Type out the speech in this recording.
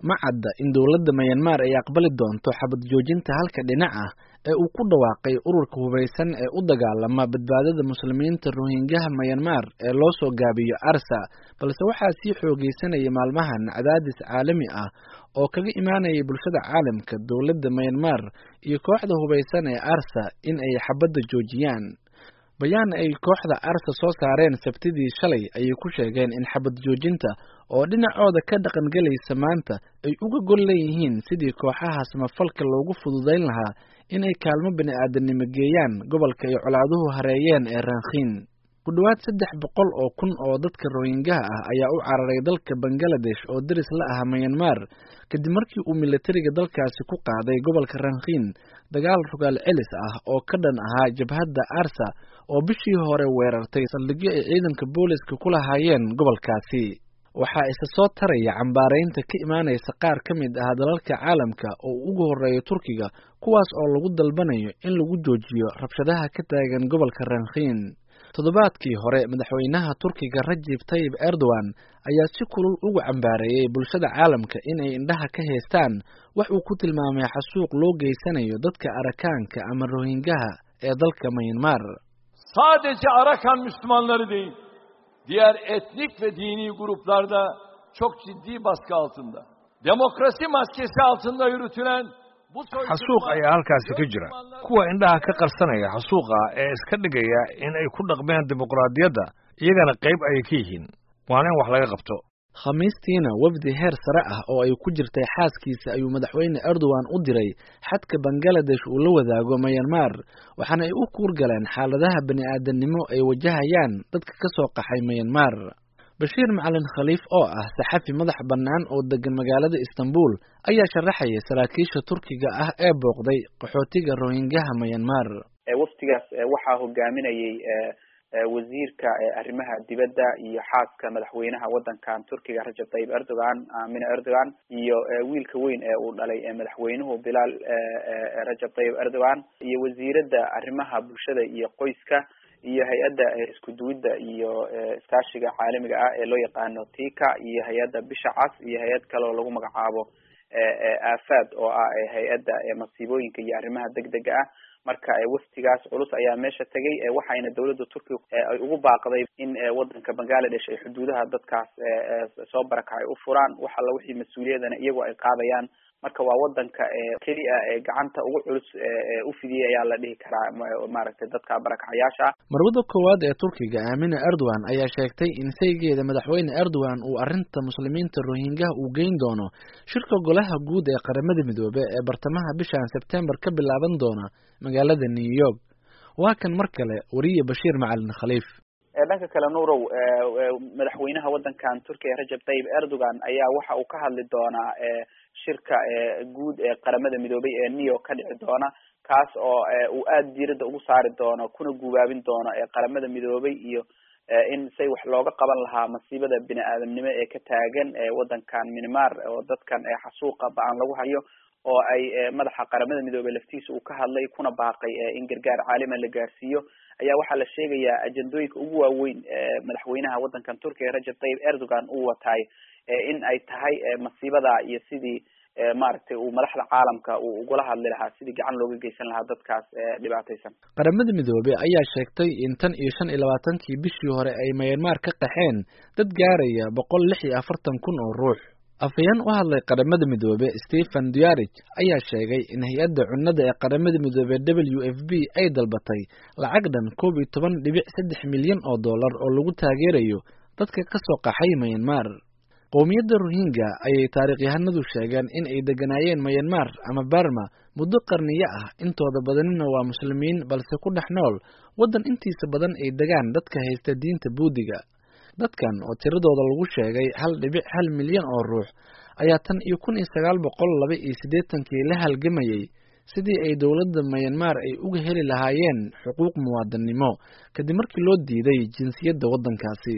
Ma cadda in dowladda Myanmar ay aqbali doonto xabad joojinta halka dhinac ah ee uu ku dhawaaqay ururka hubeysan ee u dagaalama badbaadada Muslimiinta Rohingyaha Myanmar ee loo soo gaabiyo ARSA, balse waxaa sii xoogeysanaya maalmahan cadaadis caalami ah oo kaga imaanaya bulshada caalamka, dowladda Myanmar iyo kooxda hubeysan ee ARSA in ay xabadda joojiyaan. Bayaan ay kooxda ARSA soo saareen Sabtidii shalay ayay ku sheegeen in xabad joojinta oo dhinacooda ka dhaqangelaysa maanta ay uga gol leeyihiin sidii kooxaha samafalka loogu fududeyn lahaa inay kaalmo bini'aadanimo geeyaan gobolka ay colaaduhu hareeyeen ee Rakhine. Ku dhawaad 300,000 oo dadka Rohingyaha ah ayaa u cararay dalka Bangladesh oo deris la ah Myanmar kadib markii uu militariga dalkaasi ku qaaday gobolka Rakhine dagaal rogaal celis ah oo ka dhan ahaa jabhadda ARSA oo bishii hore weerartay saldhigyo ay ciidanka booliska ku lahaayeen gobolkaasi. Waxaa isa soo taraya cambaaraynta ka imaanaysa qaar ka mid ah dalalka caalamka oo ugu horreeya Turkiga, kuwaas oo lagu dalbanayo in lagu joojiyo rabshadaha ka taagan gobolka Rakhine. Toddobaadkii hore, madaxweynaha Turkiga Rajib Tayyip Erdogan ayaa si kulul ugu cambaareeyay bulshada caalamka in ay indhaha ka haystaan wax uu ku tilmaamay xasuuq loo geysanayo dadka Arakaanka ama Rohingyaha ee dalka Myanmar. Sadece Arakan Müslümanları değil, diğer etnik ve dini gruplarda çok ciddi baskı altında. Demokrasi maskesi altında yürütülen bu Xasuuq ayaa halkaasi ka jira. Kuwa indhaha ka qarsanaya xasuuqa ee iska dhigaya in ay ku dhaqmeen dimuqraadiyadda, iyagana qayb ayay ka yihiin. Waana in wax laga qabto. Khamiistiina wafdi heer sare ah oo ay ku jirtay xaaskiisa ayuu madaxweyne Erdogan u diray xadka Bangladesh uu la wadaago Myanmar, waxaana ay u kuurgaleen xaaladaha bini'aadanimo ay wajahayaan dadka ka soo qaxay Myanmar. Bashiir Macalin Khaliif oo ah saxafi madax bannaan oo degan magaalada Istanbul ayaa sharaxaya saraakiisha Turkiga ah ee booqday qaxootiga Rohingyaha Myanmar. Waftigaas waxaa hogaaminayay wasiirka arrimaha dibadda iyo xaaska madaxweynaha wadankan Turkiga Rajab Tayyip Erdogan, Amina Erdogan, iyo wiilka weyn ee uu dhalay madaxweynuhu Bilal Rajab Tayyip Erdogan, iyo wasiirada arrimaha bulshada iyo qoyska, iyo hay-adda isku duwidda iyo iskaashiga caalamiga ah ee loo yaqaano TIKA, iyo hay-adda Bisha Cas, iyo hay-ad kale oo lagu magacaabo AFAD oo ah hay-adda masiibooyinka iyo arrimaha degdega ah. Marka waftigaas culus ayaa meesha tegay, waxayna dowladda Turkiga ay ugu baaqday in wadanka Bangladesh ay xuduudaha dadkaas soo barakacay u furaan, wax alla wixii mas-uuliyadana iyagoo ay qaadayaan. Marka waa wadanka keliya ee gacanta ugu culus u fidiyay ayaa la dhihi karaa maaragtay dadka barakacayaasha. Marwada koowaad ee Turkiga Amina Erdogan ayaa sheegtay in saygeeda madaxweyne Erdogan uu arrinta Muslimiinta Rohingyaha uu geyn doono shirka golaha guud ee Qaramada Midoobay ee bartamaha bishan Sebtembar ka bilaaban doona magaalada New York. Waa kan mar kale wariye Bashiir Macalin Khaliif. Dhanka kale, Nuurow, madaxweynaha wadankan Turkiga Rajab Tayyip Erdogan ayaa waxa uu ka hadli doonaa shirka guud ee Qaramada Midoobay ee New York ka dhici doona, kaas oo uu aada diiradda ugu saari doono kuna guubaabin doono Qaramada Midoobay iyo in say wax looga qaban lahaa masiibada bini-aadamnimo ee ka taagan wadankan Myanmar oo dadkan xasuuqa ba-an lagu hayo, oo ay madaxa Qaramada Midoobay laftiisa uu ka hadlay kuna baaqay in gargaar caalama la gaarsiiyo. Ayaa waxaa la sheegayaa ajendooyinka ugu waaweyn madaxweynaha wadankan Turkiga Rajab Tayyip Erdogan uu wataay in ay tahay masiibada iyo sidii maaragtay uu madaxda caalamka uu ugula hadli lahaa sidii gacan looga geysan lahaa dadkaas dhibaataysan. Qaramada Midoobey ayaa sheegtay in tan iyo 25-kii bishii hore ay Myanmar ka qaxeen dad gaaraya 146,000 oo ruux. Afhayeen u hadlay Qaramada Midoobey Stephen Dujarric ayaa sheegay in hay-adda cunnada ee Qaramada Midoobey WFP ay dalbatay lacag dhan 11.3 milyan oo dollar oo lagu taageerayo dadka ka soo qaxay Myanmar. Qowmiyadda Rohingya ayay taariikhyahanadu sheegeen in ay degganaayeen Myanmar ama Burma muddo qarniyo ah, intooda badanina waa Muslimiin balse ku dhex nool waddan intiisa badan ay degaan dadka haysta diinta Buudiga. Dadkan oo tiradooda lagu sheegay 1.1 milyan oo ruux ayaa tan iyo 1982-kii la halgamayay sidii ay dowladda Myanmar ay uga heli lahaayeen xuquuq muwaadinimo kadib markii loo diiday jinsiyadda waddankaasi.